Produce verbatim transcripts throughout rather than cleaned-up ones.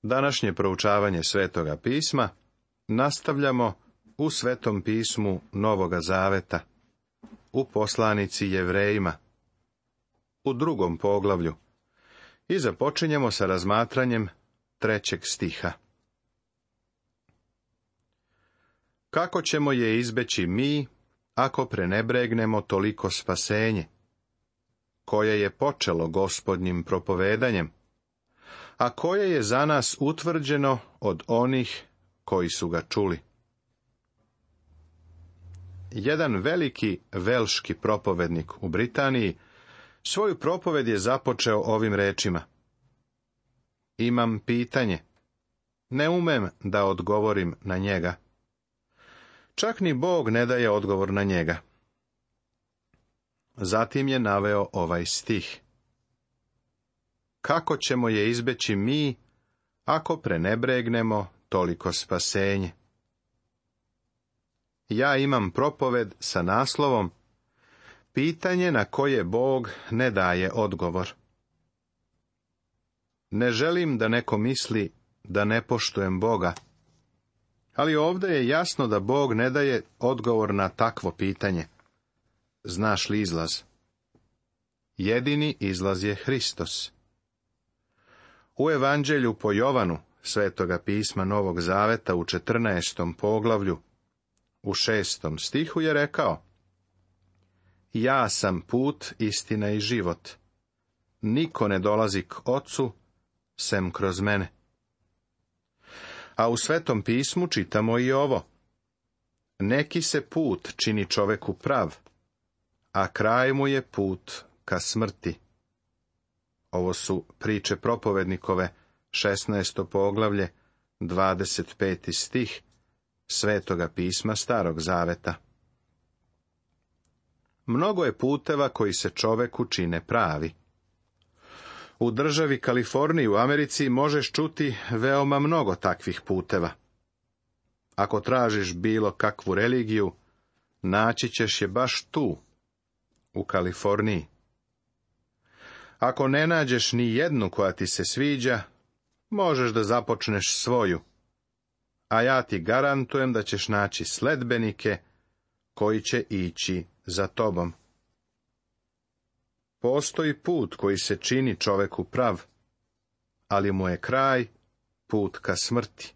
Današnje proučavanje Svetoga pisma nastavljamo u Svetom pismu Novoga Zaveta, u poslanici Jevrejima, u drugom poglavlju, i započinjemo sa razmatranjem trećeg stiha. Kako ćemo je izbeći mi, ako prenebregnemo toliko spasenje, koje je počelo Gospodnjim propovedanjem, a koje je za nas utvrđeno od onih koji su ga čuli. Jedan veliki velški propovednik u Britaniji svoju propoved je započeo ovim rečima: Imam pitanje, ne umem da odgovorim na njega. Čak ni Bog ne daje odgovor na njega. Zatim je naveo ovaj stih: Kako ćemo je izbeći mi, ako prenebregnemo toliko spasenje? Ja imam propoved sa naslovom Pitanje na koje Bog ne daje odgovor. Ne želim da neko misli da ne poštujem Boga, ali ovdje je jasno da Bog ne daje odgovor na takvo pitanje. Znaš li izlaz? Jedini izlaz je Hristos. U Evanđelju po Jovanu, Svetoga pisma Novog Zaveta, u četrnaestom poglavlju, u šestom stihu je rekao: Ja sam put, istina i život. Niko ne dolazi k Ocu, sem kroz mene. A u Svetom pismu čitamo i ovo: Neki se put čini čoveku prav, a kraj mu je put ka smrti. Ovo su priče propovednikove, šesnaesto poglavlje, dvadeset peti stih Svetoga pisma Starog Zaveta. Mnogo je puteva koji se čoveku čine pravi. U državi Kaliforniji u Americi možeš čuti veoma mnogo takvih puteva. Ako tražiš bilo kakvu religiju, naći ćeš je baš tu, u Kaliforniji. Ako ne nađeš ni jednu koja ti se sviđa, možeš da započneš svoju, a ja ti garantujem da ćeš naći sledbenike koji će ići za tobom. Postoji put koji se čini čoveku prav, ali mu je kraj put ka smrti.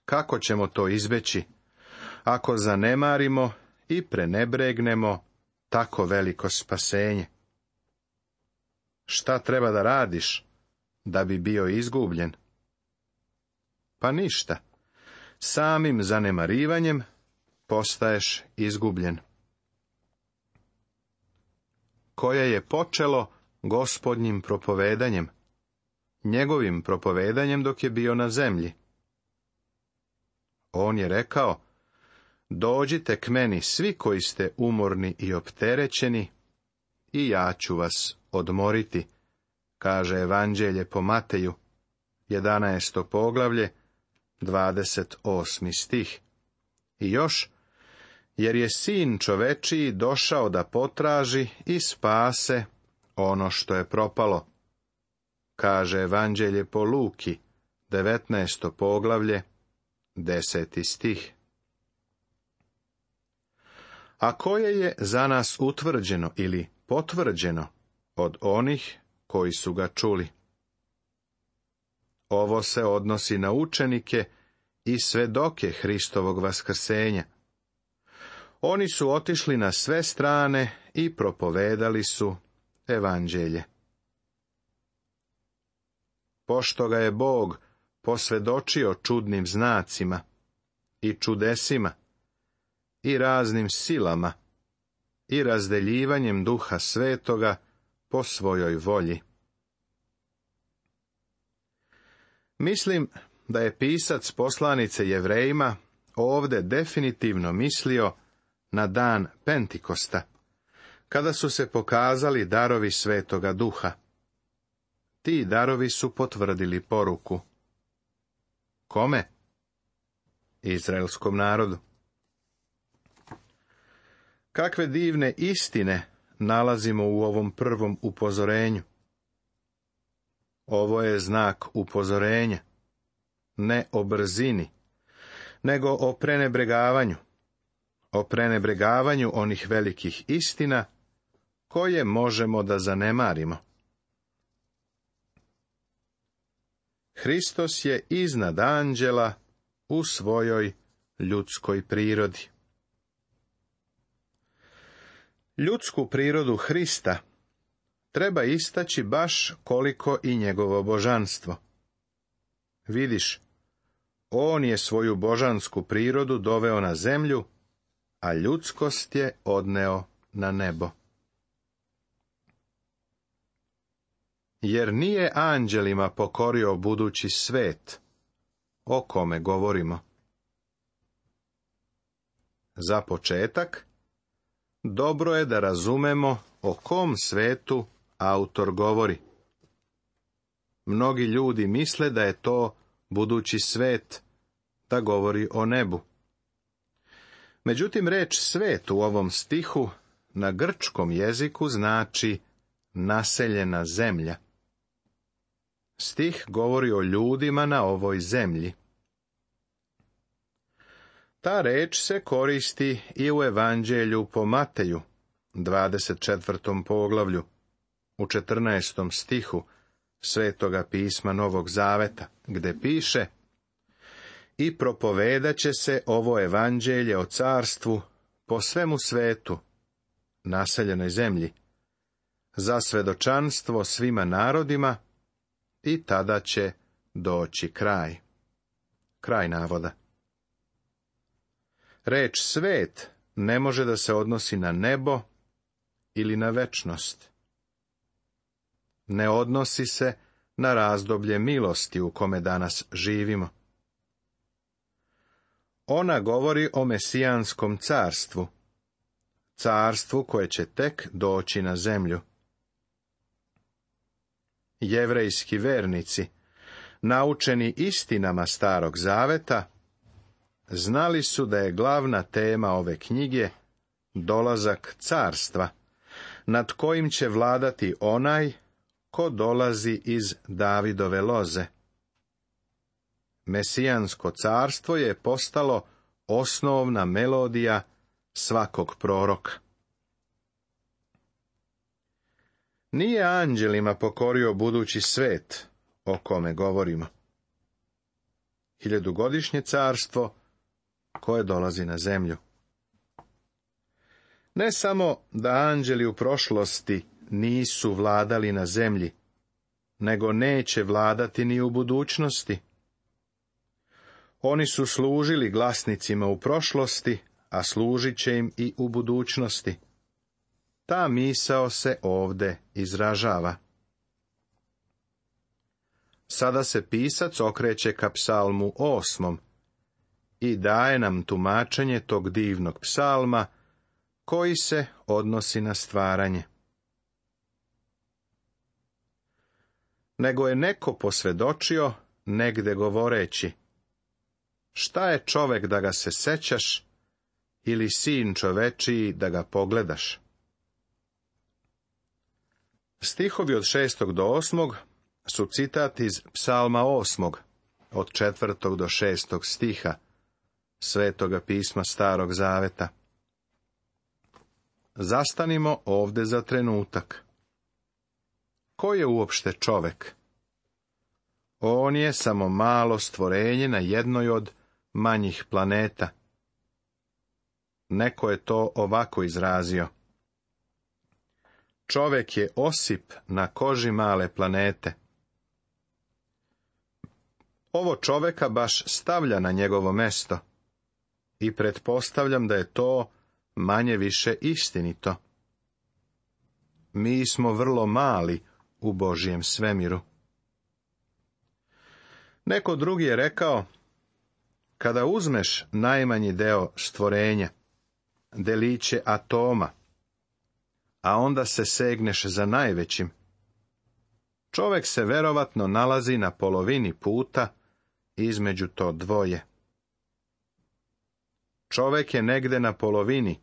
Kako ćemo to izbeći, ako zanemarimo i prenebregnemo tako veliko spasenje? Šta treba da radiš da bi bio izgubljen? Pa ništa. Samim zanemarivanjem postaješ izgubljen. Koje je počelo Gospodnjim propovedanjem, njegovim propovedanjem dok je bio na zemlji. On je rekao: Dođite k meni svi koji ste umorni i opterećeni, i ja ću vas odmoriti, kaže Evanđelje po Mateju, jedanaesto poglavlje, dvadeset osmi stih. I još, jer je Sin čovečiji došao da potraži i spase ono što je propalo, kaže Evanđelje po Luki, devetnaesto poglavlje, deseti stih. A koje je za nas utvrđeno ili potvrđeno od onih koji su ga čuli? Ovo se odnosi na učenike i svedoke Hristovog vaskrsenja. Oni su otišli na sve strane i propovedali su Evanđelje. Pošto ga je Bog posvedočio čudnim znacima i čudesima i raznim silama i razdeljivanjem Duha Svetoga po svojoj volji. Mislim da je pisac poslanice Jevrejima ovdje definitivno mislio na dan Pentikosta, kada su se pokazali darovi Svetoga Duha. Ti darovi su potvrdili poruku. Kome? Izraelskom narodu. Kakve divne istine nalazimo u ovom prvom upozorenju. Ovo je znak upozorenja, ne o brzini, nego o prenebregavanju, o prenebregavanju onih velikih istina koje možemo da zanemarimo. Hristos je iznad anđela u svojoj ljudskoj prirodi. Ljudsku prirodu Hrista treba istaći baš koliko i njegovo božanstvo. Vidiš, on je svoju božansku prirodu doveo na zemlju, a ljudskost je odneo na nebo. Jer nije anđelima pokorio budući svet, o kome govorimo. Za početak, dobro je da razumemo o kom svetu autor govori. Mnogi ljudi misle da je to budući svet, da govori o nebu. Međutim, reč svet u ovom stihu na grčkom jeziku znači naseljena zemlja. Stih govori o ljudima na ovoj zemlji. Ta reč se koristi i u Evanđelju po Mateju, dvadeset četvrtom poglavlju, u četrnaestom stihu Svetoga pisma Novog Zaveta, gde piše: I propovedat će se ovo evanđelje o carstvu po svemu svetu, naseljenoj zemlji, za svedočanstvo svima narodima, i tada će doći kraj. Kraj navoda. Reč svet ne može da se odnosi na nebo ili na večnost. Ne odnosi se na razdoblje milosti u kome danas živimo. Ona govori o mesijanskom carstvu, carstvu koje će tek doći na zemlju. Jevrejski vernici, naučeni istinama Starog Zaveta, znali su da je glavna tema ove knjige dolazak carstva, nad kojim će vladati onaj ko dolazi iz Davidove loze. Mesijansko carstvo je postalo osnovna melodija svakog proroka. Nije anđelima pokorio budući svet, o kome govorimo. Hiljadugodišnje carstvo koje dolazi na zemlju. Ne samo da anđeli u prošlosti nisu vladali na zemlji, nego neće vladati ni u budućnosti. Oni su služili glasnicima u prošlosti, a služit će im i u budućnosti. Ta misao se ovde izražava. Sada se pisac okreće ka psalmu osmom i daje nam tumačenje tog divnog psalma koji se odnosi na stvaranje. Nego je neko posvedočio negde govoreći: šta je čovek da ga se sećaš, ili sin čovečiji da ga pogledaš? Stihovi od šestog do osmog su citat iz psalma osmog, od četvrtog do šestog stiha Svetoga pisma Starog Zaveta. Zastanimo ovde za trenutak. Ko je uopšte čovek? On je samo malo stvorenje na jednoj od manjih planeta. Neko je to ovako izrazio: čovek je osip na koži male planete. Ovo čoveka baš stavlja na njegovo mesto i pretpostavljam da je to manje više istinito. Mi smo vrlo mali u Božjem svemiru. Neko drugi je rekao: kada uzmeš najmanji deo stvorenja, deliće atoma, a onda se segneš za najvećim, čovek se verovatno nalazi na polovini puta između to dvoje. Čovek je negde na polovini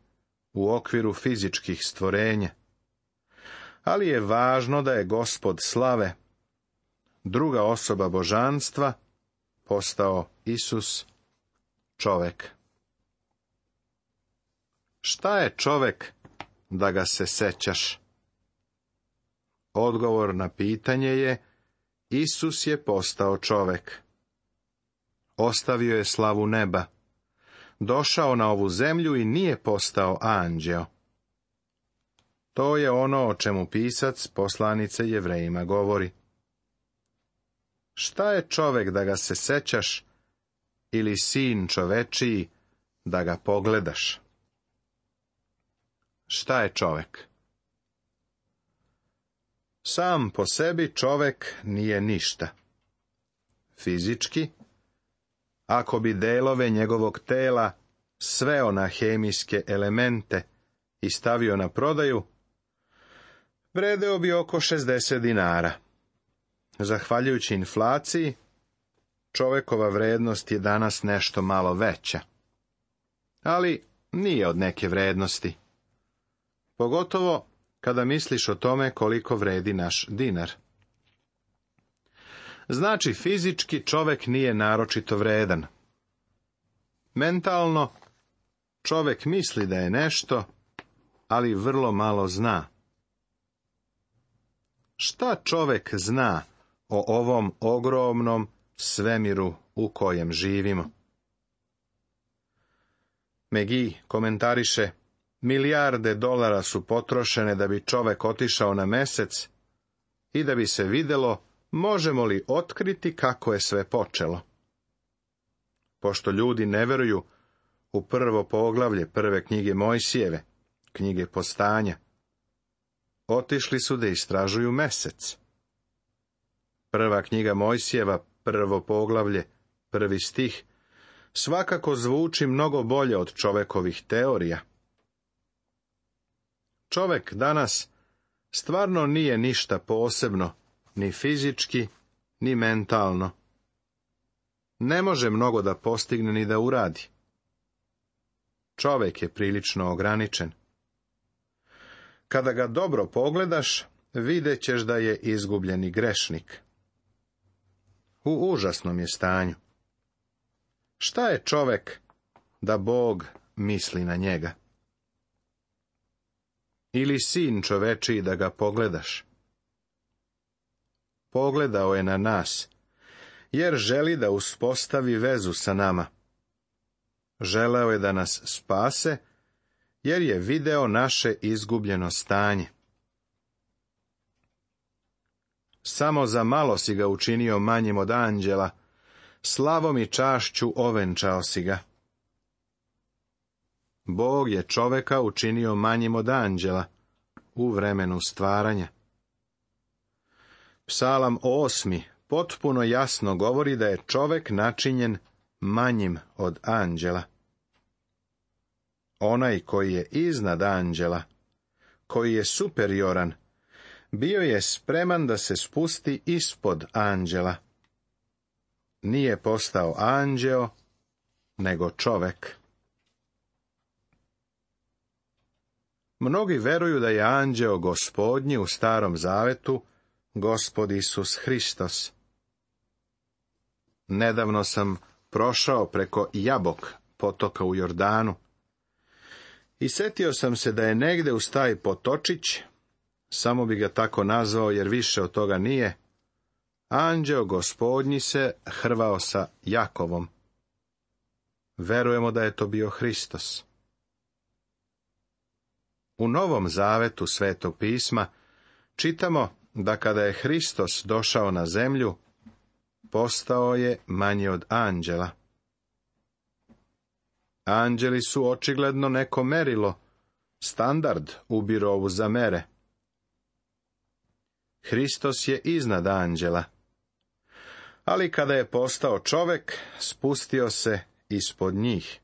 u okviru fizičkih stvorenja, ali je važno da je Gospod slave druga osoba božanstva, postao Isus, čovek. Šta je čovek da ga se sećaš? Odgovor na pitanje je: Isus je postao čovek. Ostavio je slavu neba. Došao na ovu zemlju i nije postao anđeo. To je ono o čemu pisac poslanice Jevrejima govori. Šta je čovek da ga se sećaš, ili sin čovečiji da ga pogledaš? Šta je čovek? Sam po sebi čovek nije ništa. Fizički, ako bi delove njegovog tela sveo na hemijske elemente i stavio na prodaju, vredeo bi oko šezdeset dinara. Zahvaljujući inflaciji, čovekova vrednost je danas nešto malo veća. Ali nije od neke vrednosti. Pogotovo kada misliš o tome koliko vredi naš dinar. Znači, fizički čovek nije naročito vredan. Mentalno, čovek misli da je nešto, ali vrlo malo zna. Šta čovek zna o ovom ogromnom svemiru u kojem živimo? McGee komentariše: milijarde dolara su potrošene da bi čovek otišao na mesec i da bi se videlo možemo li otkriti kako je sve počelo. Pošto ljudi ne veruju u prvo poglavlje prve knjige Mojsijeve, knjige Postanja, otišli su da istražuju mesec. Prva knjiga Mojsijeva, prvo poglavlje, prvi stih, svakako zvuči mnogo bolje od čovekovih teorija. Čovek danas stvarno nije ništa posebno, ni fizički, ni mentalno. Ne može mnogo da postigne ni da uradi. Čovek je prilično ograničen. Kada ga dobro pogledaš, vidjet ćeš da je izgubljeni grešnik. U užasnom je stanju. Šta je čovek da Bog misli na njega? Ili sin čovečiji da ga pogledaš? Pogledao je na nas, jer želi da uspostavi vezu sa nama. Želeo je da nas spase, jer je video naše izgubljeno stanje. Samo za malo si ga učinio manjim od anđela, slavom i čašću ovenčao si ga. Bog je čoveka učinio manjim od anđela u vremenu stvaranja. Psalam osmi potpuno jasno govori da je čovek načinjen manjim od anđela. Onaj koji je iznad anđela, koji je superioran, bio je spreman da se spusti ispod anđela. Nije postao anđeo, nego čovek. Mnogi veruju da je anđeo Gospodnji u Starom Zavetu Gospod Isus Hristos. Nedavno sam prošao preko Jabok, potoka u Jordanu, i setio sam se da je negde uz taj potočić, samo bi ga tako nazvao jer više od toga nije, anđeo Gospodnji se hrvao sa Jakovom. Verujemo da je to bio Hristos. U Novom Zavetu Svetog pisma čitamo da kada je Hristos došao na zemlju, postao je manji od anđela. Anđeli su očigledno neko merilo, standard u birovu za mere. Hristos je iznad anđela, ali kada je postao čovek, spustio se ispod njih.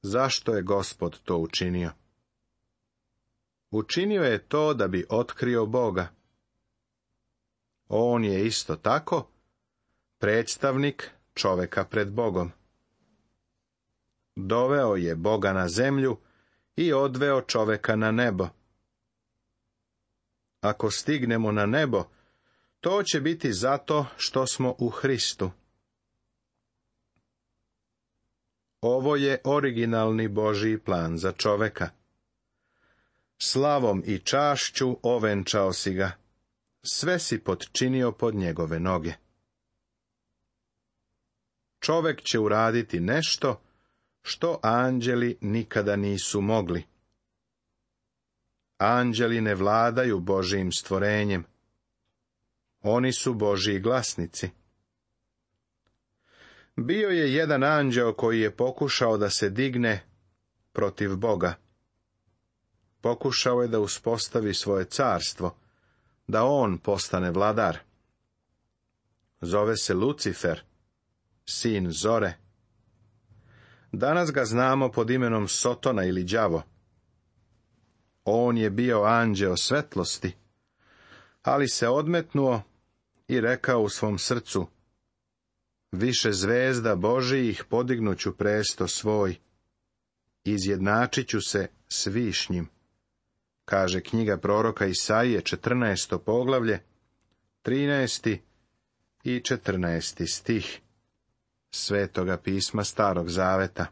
Zašto je Gospod to učinio? Učinio je to da bi otkrio Boga. On je isto tako predstavnik čoveka pred Bogom. Doveo je Boga na zemlju i odveo čoveka na nebo. Ako stignemo na nebo, To će biti zato što smo u Hristu. Ovo je originalni Božji plan za čoveka. Slavom i čašću ovenčao si ga. Sve si potčinio pod njegove noge. Čovek će uraditi nešto što anđeli nikada nisu mogli. Anđeli ne vladaju Božjim stvorenjem. Oni su Božji glasnici. Bio je jedan anđeo koji je pokušao da se digne protiv Boga. Pokušao je da uspostavi svoje carstvo, da on postane vladar. Zove se Lucifer, sin zore. Danas ga znamo pod imenom Sotona ili đavo. On je bio anđeo svetlosti, ali se odmetnuo i rekao u svom srcu: više zvezda Božijih podignuću presto svoj, izjednačit ću se s višnjim, kaže knjiga proroka Isaije, četrnaesto poglavlje, trinaesti i četrnaesti stih Svetoga pisma Starog Zaveta.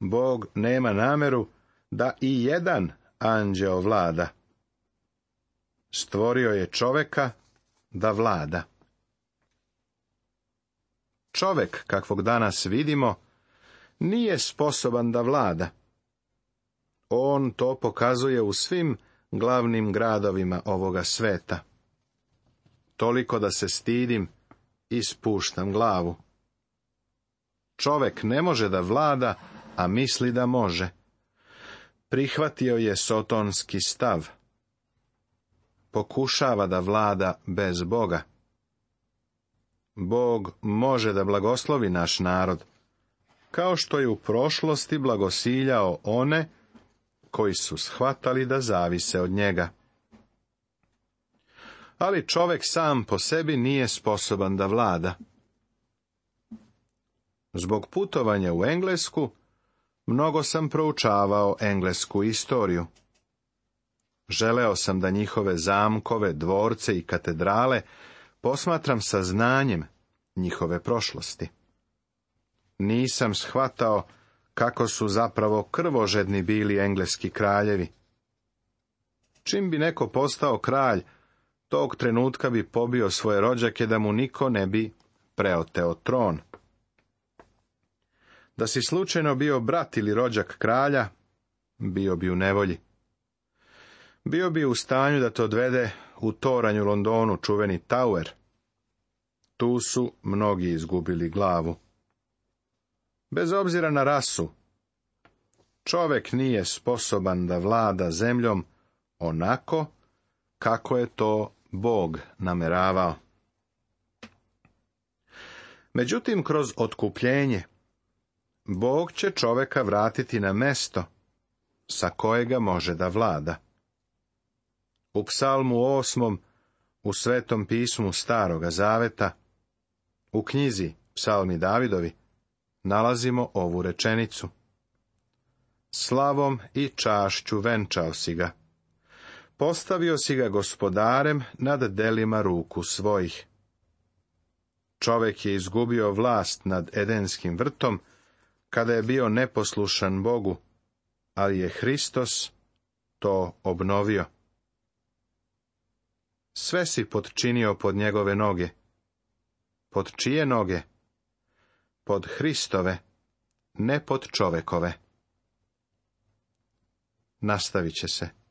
Bog nema nameru da i jedan anđeo vlada. Stvorio je čoveka da vlada. Čovek, kakvog danas vidimo, nije sposoban da vlada. On to pokazuje u svim glavnim gradovima ovoga sveta. Toliko da se stidim i spuštam glavu. Čovek ne može da vlada, a misli da može. Prihvatio je sotonski stav. Pokušava da vlada bez Boga. Bog može da blagoslovi naš narod, kao što je u prošlosti blagosiljao one koji su shvatali da zavise od njega. Ali čovek sam po sebi nije sposoban da vlada. Zbog putovanja u Englesku, mnogo sam proučavao englesku istoriju. Želeo sam da njihove zamkove, dvorce i katedrale posmatram sa znanjem njihove prošlosti. Nisam shvatao kako su zapravo krvožedni bili engleski kraljevi. Čim bi neko postao kralj, tog trenutka bi pobio svoje rođake da mu niko ne bi preoteo tron. Da si slučajno bio brat ili rođak kralja, bio bi u nevolji. Bio bi u stanju da te odvede u toranj u Londonu, čuveni Tower. Tu su mnogi izgubili glavu. Bez obzira na rasu, čovek nije sposoban da vlada zemljom onako kako je to Bog nameravao. Međutim, kroz otkupljenje, Bog će čoveka vratiti na mesto sa kojega može da vlada. U psalmu osmom, u Svetom pismu Staroga Zaveta, u knjizi Psalmi Davidovi, nalazimo ovu rečenicu: slavom i čašću venčao si ga. Postavio si ga gospodarem nad delima ruku svojih. Čovek je izgubio vlast nad Edenskim vrtom, kada je bio neposlušan Bogu, ali je Hristos to obnovio. Sve si potčinio pod njegove noge. Pod čije noge? Pod Hristove, ne pod čovekove. Nastavit će se.